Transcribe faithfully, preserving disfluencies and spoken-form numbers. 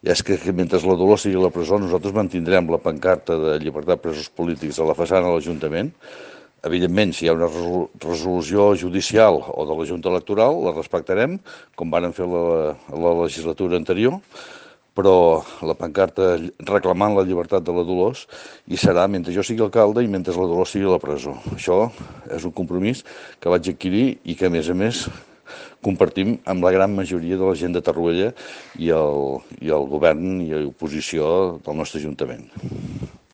és que, que mentre la Dolors sigui a la presó nosaltres mantindrem la pancarta de llibertat presos polítics a la façana de l'Ajuntament. Evidentment, si hi ha una resolució judicial o de la Junta Electoral, la respectarem, com varen fer la, la legislatura anterior, però la pancarta reclamant la llibertat de la Dolors hi serà mentre jo sigui alcalde i mentre la Dolors sigui a la presó. Això és un compromís que vaig adquirir i que, a més a més, compartim amb la gran majoria de la gent de Torroella i el, i el govern i l'oposició del nostre Ajuntament.